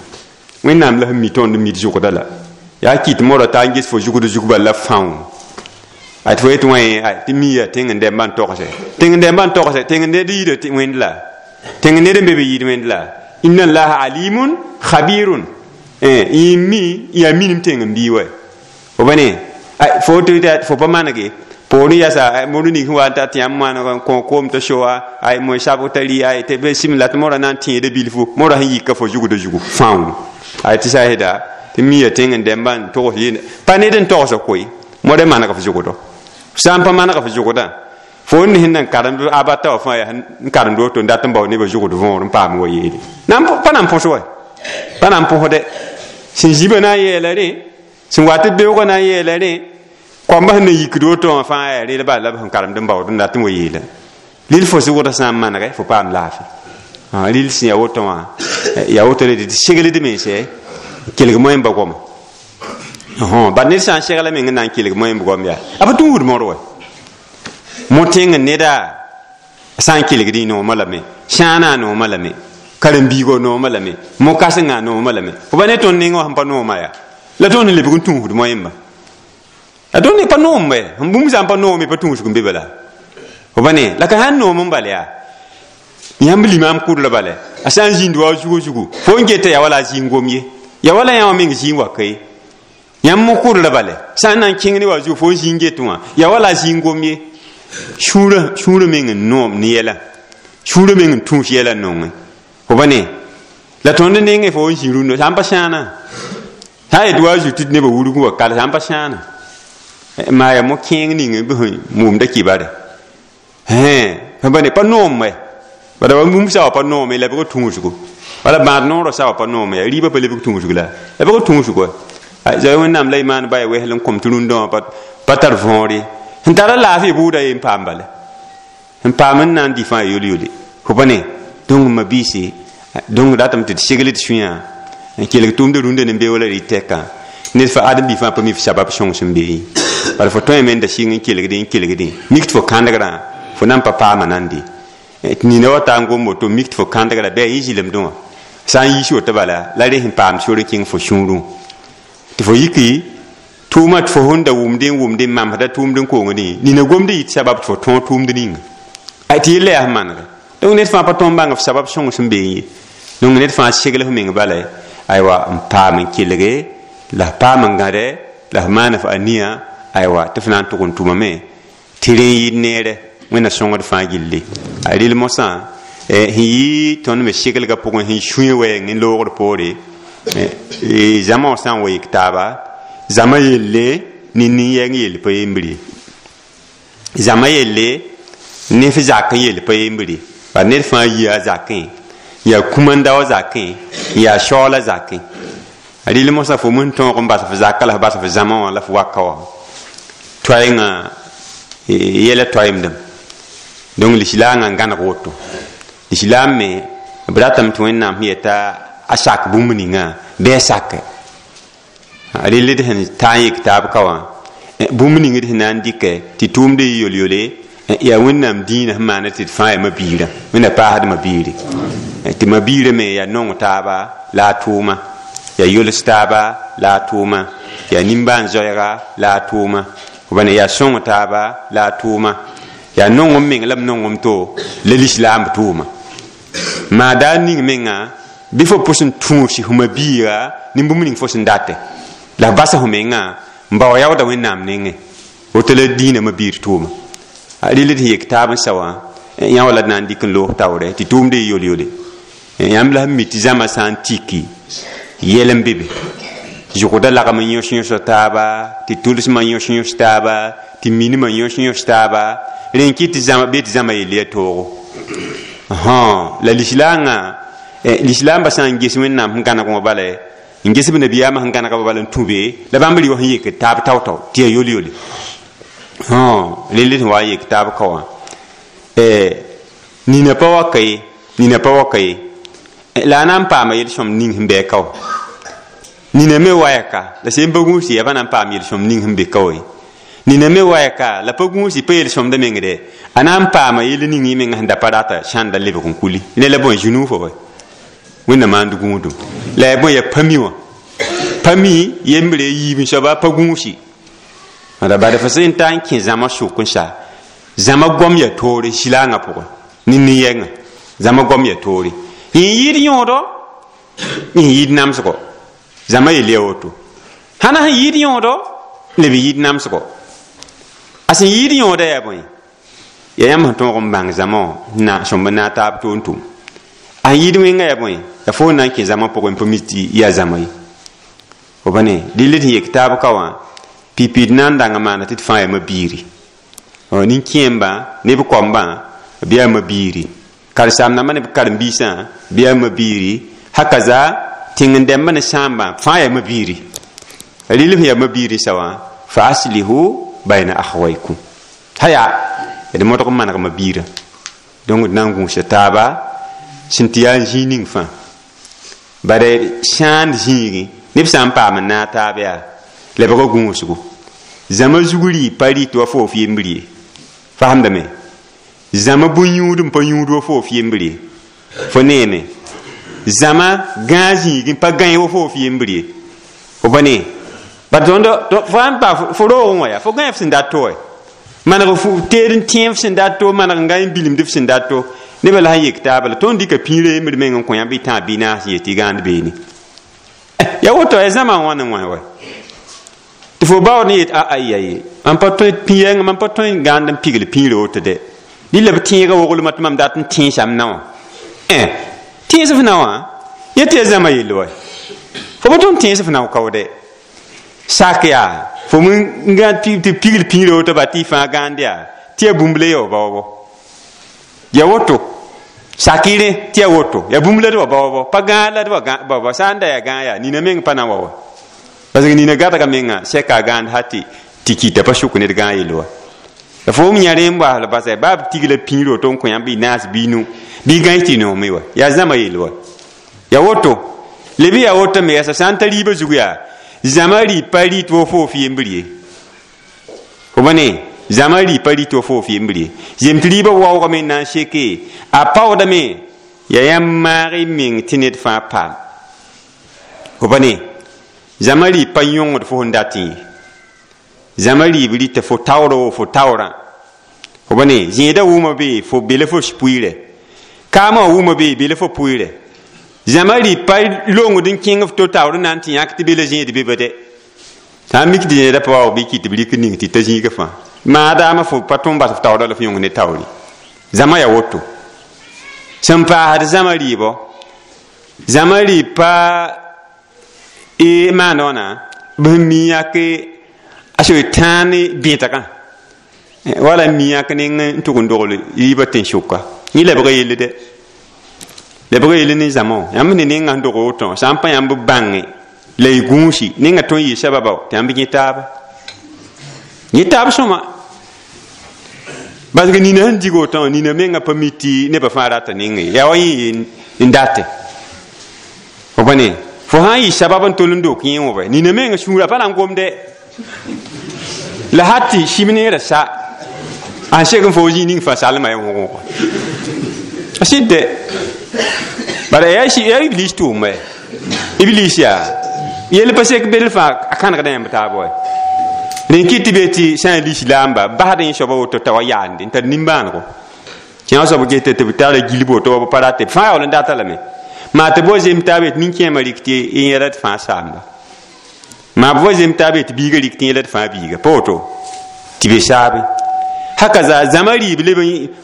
Wẽnnaam la sẽn mi tõnd n mid zʋgda la yaa kɩt morã t'a n ges fo zʋgd zug bal la fãoo ay tɩ fo yetɩ wã tɩ mi yaa tẽng n dɛmbã n togse tẽng n dɛmbã n togse tẽng ned yɩɩda wẽnd la tẽng ned n be be yɩɩd wẽnd la inna allaha alimun khabirun yẽ mi yaa minim tẽng n bii wa fo ba ne fo tɩ fo pa manege poorẽ yasa mor ning sẽn wa n ta tɩ yãmb maan n kõ koom t'a soa ay moe sab t'a rɩ ay tɩ b sɩm la tɩ morã na n tẽeda bilfu morã sẽn yika fo zugda zugu fãoo ay tɩ sã sɩda tɩ mi yaa tẽng n dɛmbã n togs yeen pa ned n togsa koe modã maneg f zugdo sã n pa maneg f zugdã fo n sẽn na n karemd abata wã fãa yaa n karemd woto n dat n bao nebã zugd võor n paam wa yeele pa na n põs wa pa na n põsdɛ sẽn zibã na n yeela rẽ sẽn wa tɩ beoogã na n yeela rẽ koambã sẽn na yikd woto wã fãa yaa rel bala la b sẽn karemd n baood n dat n wa yeela lil fo zʋgdã sã n manegɛ fo paam laafɩ lil sẽn yaa woto wã yaa woto le tɩ segled mense kelg moẽmba goama bad ned sã n segla meng n na n kelg moẽmb goam yaa a pa tũud mor wa mo tẽng neda sã n kelgd y noomã lame sãanã noomã lame karen-biigã noomã lame mo-kãsengã noomã lame fo pa ne tõnd neng wã sẽn pa nooma yaa la tõnd n lebg n tũusd moẽmba la tõnd pa noom bɛ n bũmb sã n pa noome pa tũusg n be bala fo pa ne la ka sãn noom n bal yaa yãmb limaam kʋd la bala a sã n zĩnd wa zugu zugu fo n geta yaa wala a zĩig gom ye yaa wala yã wã meng zĩig wa ka ye yãmb mo kʋd la bala sã n na n kẽng ne wa zugu fo n zĩig get wã yaa wala a zĩig gom ye sũurã meng n noom ne yɛla sũurã meng n tũus yɛla n nongẽ fo pa ne la tõnd nengẽ fo n zĩ rũndã sã n pa sãana sã n yet wa zu tɩ nebã wurg wa kal sã n pa sãana maa yaa mo-kẽeng ning b sẽn wʋmda kibare pa ne pa noom wɛ bala wa bũmb sã wa pa noome la bg tũusgo wala bãad noorã sã wa pa noome yaa rɩɩbã pa lebg tũusg la la bg tũusg wa zoe Wẽnnaam la y maan ba ya wesl n kõm tɩ rũndã wã pa tar võor ye sẽn tara laafɩ bʋʋda ye n paam bala n paam n na n dɩ fãa yol-yole fo pa ne donc ma biise donc datame tɩ d segl d sũyã n kelg tʋʋmda rũndã ne beoola rɩ tɛkã ned fa ãdem-bi fãa pa mi f sabab sõng sẽn be ye bala fo tõe me n da sɩng n kelgdẽ n kelgdẽ mik tɩ fo kãndgrã fo na n pa paama nande tɩ nina wa taa n gom woto mik tɩ fo kãndgrã bɩ a yɩ zɩlemdẽ wã sã n yiis woto bala la rẽ sẽn paam sor n kẽng fo sũurẽ tɩ fo yiki tʋʋma tɩ fo sẽn da wʋmdẽ n wʋmdẽ n mamsda tʋʋmd n kongdẽ nina gomd yɩ tɩ sabab tɩ fo tõog tʋʋmd ninga tɩ yella yaa sẽn manege Donc ned fãa pa tõnd bãng f sabab sõng sẽn beẽ ye. Donc ned fãa segl f meng bala, aywa, n paam n kelge la f paam n gãde la f maan f ania, aywa, tɩ f na n tʋg n tʋmame tɩ rẽ n yɩɩd neere. Wẽnna sõngd fãa gilli a rɩl mosã sẽn yɩ tõnd me seglga pʋgẽ sẽn sũe wɛɛng n loogd poore zãma wã sã n wa yik taaba zãma yelle ne nin-yɛng yell pa yembre ye, zãma yelle ne f zak n yell pa yembre. Bala ned fãa yia a zakẽ, yaa kũmandao zakẽ, yaa shaoola zakẽ. A rɩl mosã fo mn tõog n bas f zaka la f bas f zãma wã la f waka wã toaengã yɛla toaemdem. Donc lislaangã n gãneg woto. Lislaam me b ratame tɩ Wẽnnaam sẽn yeta a sak bũmb ninga bɩ a sake. A rɩl d sẽn ta n yik taab ka wã bũmb ning d sẽn na n dɩkɛ tɩ tʋʋmd yɩ yol-yole yaa Wẽnnaam dĩinã sẽn maana tɩ d fãa yaa mabiirã. Wẽnna paasd mabiiri tɩ mabiirã me yaa nong taaba la a tʋʋma, yaa yols taaba la a tʋʋma, yaa nimbãan-zoɛɛga la a tʋʋma, b yaa sõng taaba la a tʋʋma, yaa nongem meng la b nongem to la lislaamb tʋʋma. Maa daa ning menga bɩ fo pʋs n tũus f mabiiga ne bũmb ning fo sẽn date la f basa f menga n bao yaooda Wẽnnaam nengẽ. Woto la dĩinã mabiir tʋʋma. A rɩl d sẽn yek taab n sa wã yã wala d na n dɩk n loog taoorɛ tɩ tʋʋmd yɩ yol-yole. Yãmb la sẽn mi tɩ zãma sã n tiki yɛl n be be zʋgda lagm n yõs yõs taaba, tɩ tʋlsmã yõs yõs taaba, tɩ minimã yõs yõs taaba, rẽ n kɩt tɩ zãma bee tɩ zãma yell yaa toogo. La lislaangã lislaambã sã n ges Wẽnnaam sẽn gãneg wã bala n ges b nabiyaamã sẽn gãnega bala n tũ be la bãmb rɩ wã sẽn yekd taab tao-tao tɩ yaa yol-yole. Rel sẽn wa n yek taab ka wã nina pa waka ye, nina pa waka ye la a na n paama yel-sõmd ning sẽn bɩ ka wã. Nina me wayaka la sẽn pa gũusi yaa pa na n paam yel-sõmd ning sẽn be ka wã ye. Nina me wayaka la pa gũusi pa yel-sõmda mengde a na n paama yell ning y menga sẽn da pa rata sãnda lebg n kuli ne la bõe zũnuu fo bõe Wẽnna maand gũudum la yaa bõe yaa pa mi wã pa mi yembre yiib n soaba pa gũusi la bad fo sẽn ta n kẽ zãma sʋk n sa zãma goam yaa toore silaangã pʋgẽ ne nin-yɛngã zãma goam yaa toore yẽ yɩɩd yõodo yẽ yɩɩd namsgo zãma yell yaa woto hãna sẽn yɩɩd yõodo leb yɩɩd namsgo a sẽn yɩɩd yõoda yaa bõe yaa yãmb sẽn tõog n bãng zãma wã na sõmb n naag taab to n tʋm a yɩɩd wẽnga yaa bõe la fo na n kẽ zãma pʋgẽ n pa mi tɩ yaa zãma ye. Fo pa ne rɩl d sẽn yek taab ka wã pipi d na n dãng n maana tɩ d fãa yaa mabiiri nin-kẽembã ne b koambã bɩ yaa mabiiri, karen-saam-dãmbã ne b karen-biisã bɩ yaa mabiiri, hakaza tẽng-dɛmbã ne sãambã fãa yaa mabiiri. Rɩl sẽn yaa mabiiri sa wã fa aslihu bayna akhwaykum haya d modg n maneg mabiirã. Donc d na n gũusa taaba sẽn tɩ yaa zĩig ning fãa bare sãand zĩigẽ neb sã n paam n naag taab yaa lebga gũusgo zãma zug rɩ pa rɩ tɩ wa fo f yembr ye fasemdame zãma bõn-yũud n pa yũud wa fo f yembr ye fo neeme zãma gãag zĩigẽ pa gãe wa fo f yembr ye fo pa ne bat tõnd fo sãn pa fo roogẽ wã yaa fo gãe f sẽn dat to wɛ maneg f teed n tẽe f sẽn dat to maneg n gã n bilimd f sẽn dat to nebã la sẽn yek taaba la tõnd dɩka pĩirã yembr meng n kõ yãmb y tãag bɩ naas n yet tɩ gãand beene ya woto ya zãma n wãn n wã wa tɩ fo baood n yet a ya ye mam pa tõe pĩ-yɛngã mam pa tõe n gãand n pigl pĩirã woto dɛ rɩla b tẽegã woglmã tɩ mam dat n tẽesam na wã tẽes f na wã yẽ tɩ ya zãma yell wa fo pa tõnd tẽes f na kao dɛ sak yaa fo n gã tɩ pigl pĩirã woto ba tɩ y fãa gãand yaa tɩ ya bũmb la ya wa baoobɔ ya woto sakɩrẽ tɩ ya woto ya bũmb la d wa baoobɔ pa gãag la d wa baoobɔ sã n da yaa gãag yaa nina meng pa na n wa wa parce que nina gadga menga sɛka a gãand ha tɩ kɩta pa sʋk ned gãag yell wa la fo m yã rẽ n baasl basa baa b tigla pĩir woto n kõ yãmb y naas bɩ nu bɩ gãe tɩ noome wa yaa zãma yell wa ya woto leb yaa woto me yaa sã n ta rɩɩbã zug yaa zãma rɩ pa rɩ tɩ wa fo f yembr ye fo pa ne zãma rɩ pa rɩ tɩ wa fo f yembr ye zem tɩ rɩɩbã waoogame n na n seke a paoodame yaa yãmb maag y meng tɩ ned fãa paam fo pa ne zãma rɩ pa yõngd fo sẽn dat ye zãma rɩɩb rɩta fo taoora wo fo taoorã fo pa ne zẽedã wʋma be fo be la fo spuiirɛ Kaamã wã wʋma be bɩ la fo pʋɩɩrɛ zãma rɩ pa longd n kẽng f to taoor n na n tɩ yãk tɩ be la zẽed be ba dɛ sã n mik tɩ zẽeda pa waoog bɩ kɩt tɩ b rɩk ning tɩ ta zĩigã fãa maadaama fo pa tõe n bas f taoorã la f yõng ne taoore zãma yaa woto sẽn paasd zãma rɩɩbɔ zãma rɩɩb pa maand wãna b sẽn mi yãk a soe tãa ne bẽtgã wala n mi yãk neng n tʋg n dogl rɩɩbã tẽn-sʋka yẽ lebga yelle dɛ lebga yelle ne zãma wã yãmb ne nengã sẽn dog woto sã n pa yãmb bãnge la y gũusi nengã tõe n yɩ sababa tɩ yãmb yẽ taab sõma parce que nina sẽn dig woto nina menga pa mi tɩ nebã fãa rata neng ye yaa wa yẽ n date fo pa ne fo sã n yɩ sabab n tol n dok yẽ wã bɛ nina menga sũurã pa na n gomdɛ la hat tɩ sib neerã sa a sek n fo zĩig ning fãa salma ya wʋgʋgã a sɩd dɛ bala yaa iblis tʋʋm bɛ iblis yaa yell pa sek bel fãa a kãnegda yãmb taab wa rẽn kɩt tɩ be tɩ sã n lislaamba basd yẽ soaba woto t'a wa yaande n tar nimbãanego kẽag soab geta tɩ b tara gilb woto wa b pa rate fãa yaool n data lame maa tɩ b wa zem taab yet nin-kẽemã rɩk tɩ yẽla d fãa saamba maa b wa zem taab yet biigã rɩk tɩ yẽla d fãa biiga pa woto tɩ be saabe haka zaa zãma rɩɩb leb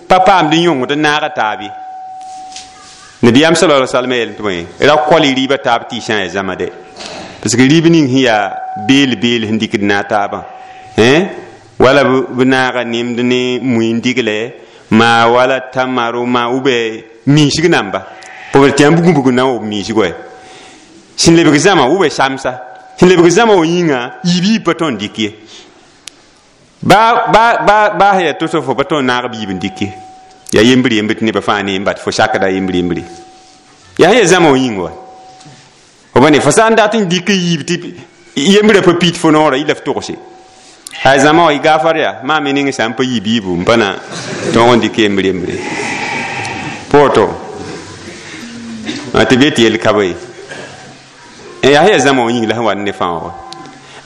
pa paamd n yõngd n naaga taab ye nabiyaam sallallahu alaihi wasallam yel tɩ bõe ra kol y rɩɩbã taab tɩ y sã n yaa zãma dɛ parce que rɩɩb ning sẽn yaa beel beel sẽn dɩkd naag taabã wala b naaga nemd ne mui n digle maa wala tamaro maa ou bien miisg namba p tɩ yãmb gũbg na n wob miisg wɛ sẽn lebg zãma ou bien samsa sẽn lebg zãma wã yĩnga yiib yiib pa tõe n dɩk ye baa sẽn yaa to-to fo pa tõe n naag b yiib n dɩk ye yaa yembr yembr tɩ nebã fãa ne n bat fo sakda yembr yembre yaa sẽn yaa zãma wã yĩng wa fo pa ne fo sã n dat n dɩk yiib tɩ yembrã pa pit fo noorã yɩ la f togse ay zãma wã y gaafar yaa maa me ning sã n pa yiib yiibu n pa na tõog n dɩk yembr yembre pa woto tɩ be tɩ yel ka ba ye yaa sẽn yaa zãma wã yĩng la sẽn wa ne fãa wa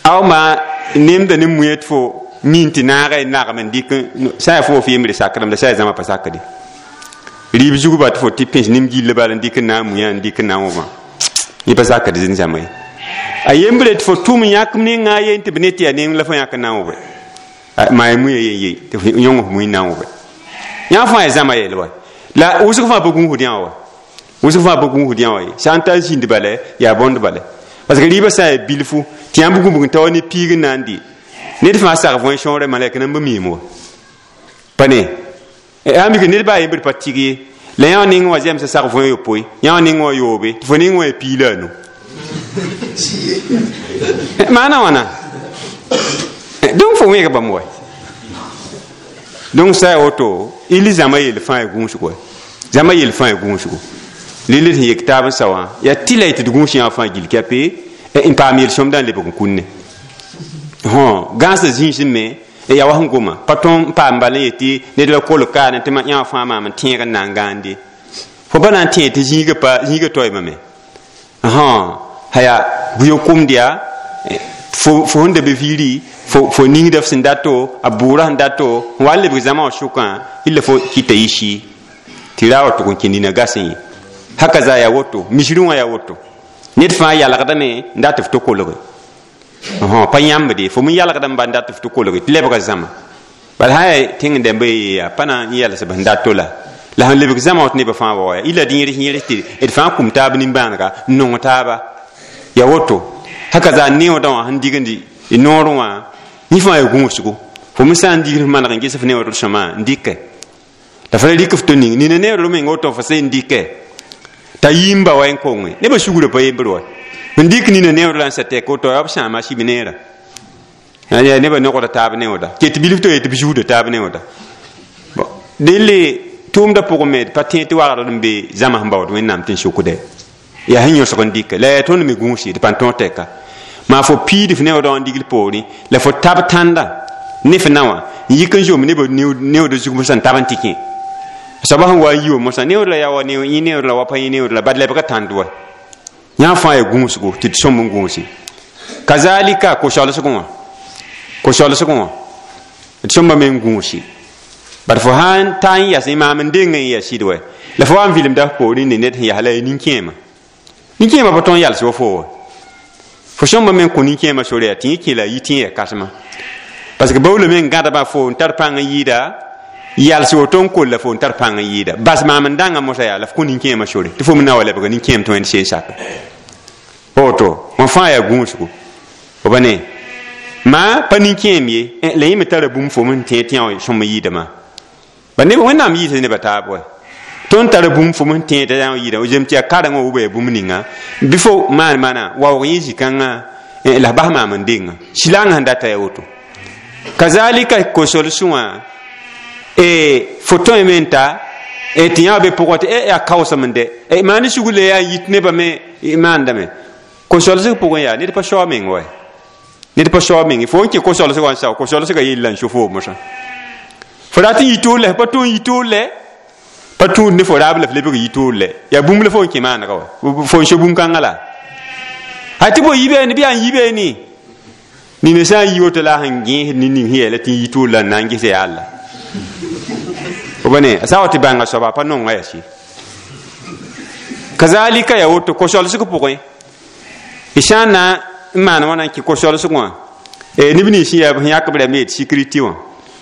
aw maa nemda ne muẽ tɩ fo min tɩ naaga y nagem n dɩk sã yaa fo f yembre sakdame la sã yaa zãma pa sakde rɩɩb zugba tɩ fo tɩ pẽs nem gilli bala n dɩk n na n muã n dɩk n na n wʋmã yẽ pa sakd zĩn zãma ye a yembre tɩ fo tʋm yãk nengã yen tɩ b ne tɩ yaa neng la fo yãk n na n wʋbe maa muã yen ye tɩ f yõng f mui n na n wʋbe yã fãa yaa zãma yel wa la wʋsg fãa pa gũusd yã wa wʋsg fãa pa gũusd yã wa ye sã n ta zĩnd bala yaa bõnd bala parce que rɩɩbã sã n yaa bilfu tɩ yãmb gũbg n ta wa ne piig n na n dɩ ned fãa sag võe sõore malɛk nan b miim wa pa ne yaa mik ned baa yembr pa tɩg ye la yã neng wã zɛmsã sag võe yopoe yã wã neng wã yoobe tɩ fo neng wã yaa piig la a nu maana wãna donc fo wẽeg bãmb wa donc sã yaa woto ili zãma yell fãa ya gũusgo wa zãma yell fãa ya gũusgo lil sẽn yek taab n sa wã yaa tɩ la y tɩ d gũus yã fãa gill kɛpe n paam yel-sõmdã n lebg n kũnne gãasã zĩisẽ me yaa wa sẽn goma pa tõe n paam bal n yetɩ ned la kolg kaane tɩ yã wã fãa maam n tẽeg n na n gãande fo pa na n tẽeg tɩ zĩigã pa zĩigã toeemame haya buyo-kʋmd yaa fo sẽn da be viiri fo ningda f sẽn dato a bʋʋrã sẽn dato n wa n lebg zãma wã sʋkã illa fo kɩta yɩ sɩ tɩ ra wa tʋg n kẽ nina gasẽ ye haka zaa yaa woto misrẽ wã yaa woto ned fãa yalgdame n dat f tɩ kolge pa yãmbde fo me yalgd n ba n dat f tɩ kolge tɩ lebga zãma bala sã yaa tẽng dãmba ye yaa pa na n yɛls b sẽn dato la la sẽn lebg zãma wã tɩ nebã fãa wa ya ila d yẽrs yẽrs tɩ d fãa kum taab nimbãanega n nong taaba ya woto haka zaa neoodã wã sẽn dignd noorẽ wã yẽ fãa yaa gũusgo fo me sã n digd f maneg n ges f neoodr sõma n dɩkɛ la fa la rɩk f to ning nina neoodr meng woto fo sẽn dɩkɛ t'a yĩmba wa n konge nebã sugrã pa yembr wa n dɩk nina neood la n sa tɛk woto yaa b sãama sib neerã yaa nebã nogda taab neooda ket bilf to yetɩ b zuuda taab neooda delle tʋʋmdã pʋgẽ me d pa tẽ tɩ wagdr n be zãma sẽn baood wẽnnaam tɩ n sokdɛ yaa sẽn yõsg n dɩkɛ la yaa tõnd me gũusi d pa tõog tɛka maa fo piid f neoodã wã n digl poorẽ la fo tab tãnda ne f na wã n yik n zom nebã neoodã zug mosã n tab n tɩ kẽ soaba sẽn wa n yi wa mosã neood la yaa wa yẽ neood la wa pa yẽ neood la bad lebga tãnd wa yã fãa yaa gũusgo tɩ d sõm n gũusi kazalika ko-soalsgẽ wã ko-soalsgẽ wã d sõmba me n gũusi bad fo sã n ta n yas maam n deng n ya sɩd wɛ La fo wa n vɩlemda f poorẽ ne ned sẽn yaa la ya nin-kẽema nin-kẽema pa tõe n yals wa fo wa fo sõmba me n kõ nin-kẽema sore yaa tɩ yẽ kẽ la a yi tɩ yẽ ya kãsema parce que baoolame n gãdba fo n tar pãng n yɩɩda yals woto n kolla fo n tar pãng n yɩɩda bas maam n dãnga mosã yaa la f kõ nin-kẽema sore tɩ fo me na wa lebga nin-kẽem tɩ wẽnd seen sake woto wã fãa yaa gũusgo fo ba ne ma pa nin-kẽem ye la yẽ me tara bũmb fo n tẽ tɩ yã sõm n yɩɩdame ba neb wẽnnaam yɩɩsa nebã taab wa tõnd tara bũmb fo n tẽeda yã yɩɩda zem tɩ yaa karengã wa yaa bũmb ninga bɩ fo maan maana waoog yẽ zĩ-kãngã la f bas maam n denga silaangã sẽn data yaa woto kazalika ko-solsẽ wã fo tõeme n ta tɩ yã be pʋgã tɩ yaa kaoosem n dɛ maan sugr la yaa yit nebã me maandame ko-solsg pʋgẽ yaa ned pa sao meng wa ned pa sao meng fo n kẽ ko-solsgã n sao ko-solsgã yella n so fo mosã fo rat n yi toor la pa tõe n yi toor lɛ pa tũud ne fo raab la f lebg yi toor lɛ yaa bũmb la fo n kẽ maanega wa fo n so bũmb-kãngã la a tɩ bo yibeene bɩ yaa n yibeene nina sã n yi woto la a sẽn gẽesd ne ning sẽn yɛɛla tɩ n yi toor la n na n ges yaa alla fo ba ne a sã wa tɩ bãnga soaba pa nonga yaa sɩ kazalika yaa woto ko-solsg pʋgẽ y sã n na n maan wãna n kẽ ko-solsg wã neb nins sẽn yaa sẽn yãk b rãmb yet sécurité wã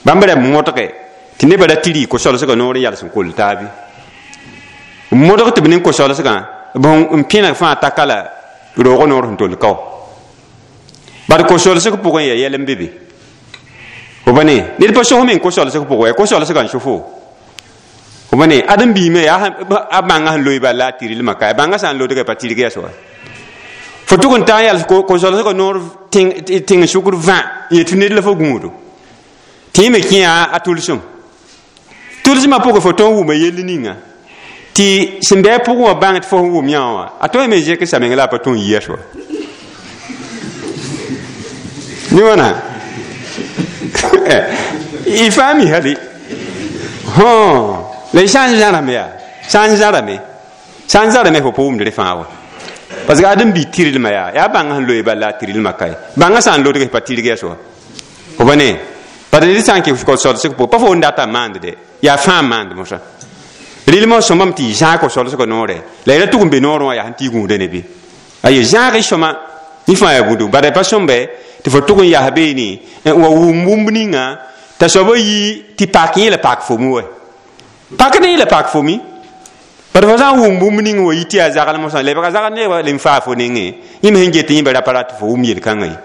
bãmb rãmb modge tɩ nebã ra tɩ rɩ ko-solsgã noor n yals n koll taabe modg tɩ b ning ko-solsgã n pẽneg fãa taka la roogã noor sẽn tol ka wa bad ko-solsg pʋgẽ yaa yɛl n be be fo ba ne ned pa sos meng ko-solsg pʋgẽ ko-solsgã n so fo fo ba ne ãdem biime yaa a bãngã sẽn loe bal la a tɩrlmã ka bãngã sã n lodga pa tɩrg yaa soa fo tʋg n taa n yals ko-solsgã noor tẽng sʋkr vã n yet tɩ ned la fo gũudo tɩ yẽ me kẽ a tʋlsem tʋlsmã pʋgẽ fo tõe n wʋma yell ninga tɩ sẽn bɩ a pʋgẽ wã bãng tɩ fo sẽn wʋm yã wã a tõe me zẽk sa meng la a pa tõe n yia soa ne wãna y fãa mi hali la y sã n zãrame yaa sã n zãrame sã n zãrame fo pa wʋmd rẽ fãa wa parce que ãdem bi tɩrlmã yaa yaa bãngã sẽn loe bal la a tɩrlmã kae bãngã sã n lodg pa tɩrg yaa soa fo ba ne bad ned sã n kẽ ko-solsg pʋgẽ pa fo n data n maand de yaa fãa n maand mosã rɩlmã sõmame tɩ y zãag ko-solsgã noorɛ la y ra tʋg n be noorẽ wã yaa sẽn tɩ y gũuda ne bɩ aye zãag y sõma yẽ fãa yaa bũmb bad pa sõmbe tɩ fo tʋg n yaa beene n wa wʋm bũmb ninga t'a soaba yi tɩ pak yẽ la pak fomi wa pakd yẽ la pak fomi bad fo sã n wʋm bũmb ning wa yi tɩ yaa zagl mosã lebga zagl nebã lem faa fo nengẽ yẽ me sẽn get yẽ ba ra pa rat fo wʋm yel-kãngã ye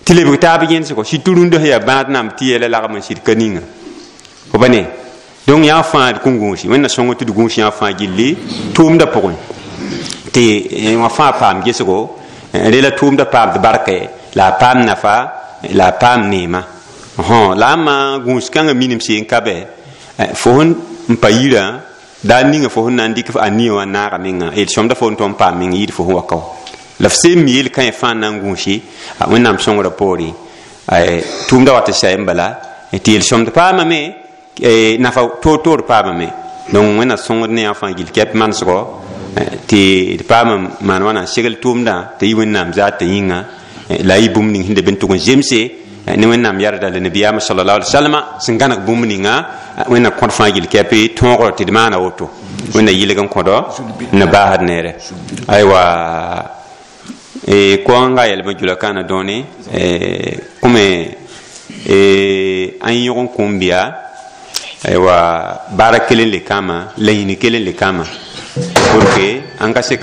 tɩ lebg taab yẽnsgo sɩd rũndã sẽn yaa bãad namb tɩ yɛla lagm n sɩd ka ninga fo ba ne donc yã fãa d kõn gũusi wẽnna sõng tɩ d gũus yã fãa gilli tʋʋmdã pʋgẽ tɩ wã fãa paam gesgo rẽ la tʋʋmdã paamd barkɛ la a paam nafa la a paam neema la a ma gũus kãngã minim seen ka bɛ fo sẽn n pa yirã daa ninga fo sẽn na n dɩk a nia wã naaga menga yel sõmda fo n tõe n paam meng yɩɩd fo sẽn wa ka wa la f seen mi yel kãe fãa na n gũusi wẽnnaam sõngrã poore tʋʋmdã wat n sayẽ bala tɩ yel sõmd paamame nafa toor-toor paamame donc wẽnna sõngd ne yã fãa gill kɛp manesgɔ tɩ d paam maan wãna n segl tʋʋmdã tɩ yɩ wẽnnaam zaat tɩ yĩnga la a yɩ bũmb ning sẽn de b n tʋg n zemse ne wẽnnaam yarda la nabiyaamã sallallahu alaihi wasallam sẽn gãneg bũmb ninga wẽnna kõd fãa gill kɛp tõogr tɩ d maana woto wẽnna yɩlg n kõdɔ n na baasd neere aywa koanga yɛlmã jula kãana dõone kʋme an yõg n kũum bɩa aywa baara kelen le kãama lañini kelen le kãama pour que an ka se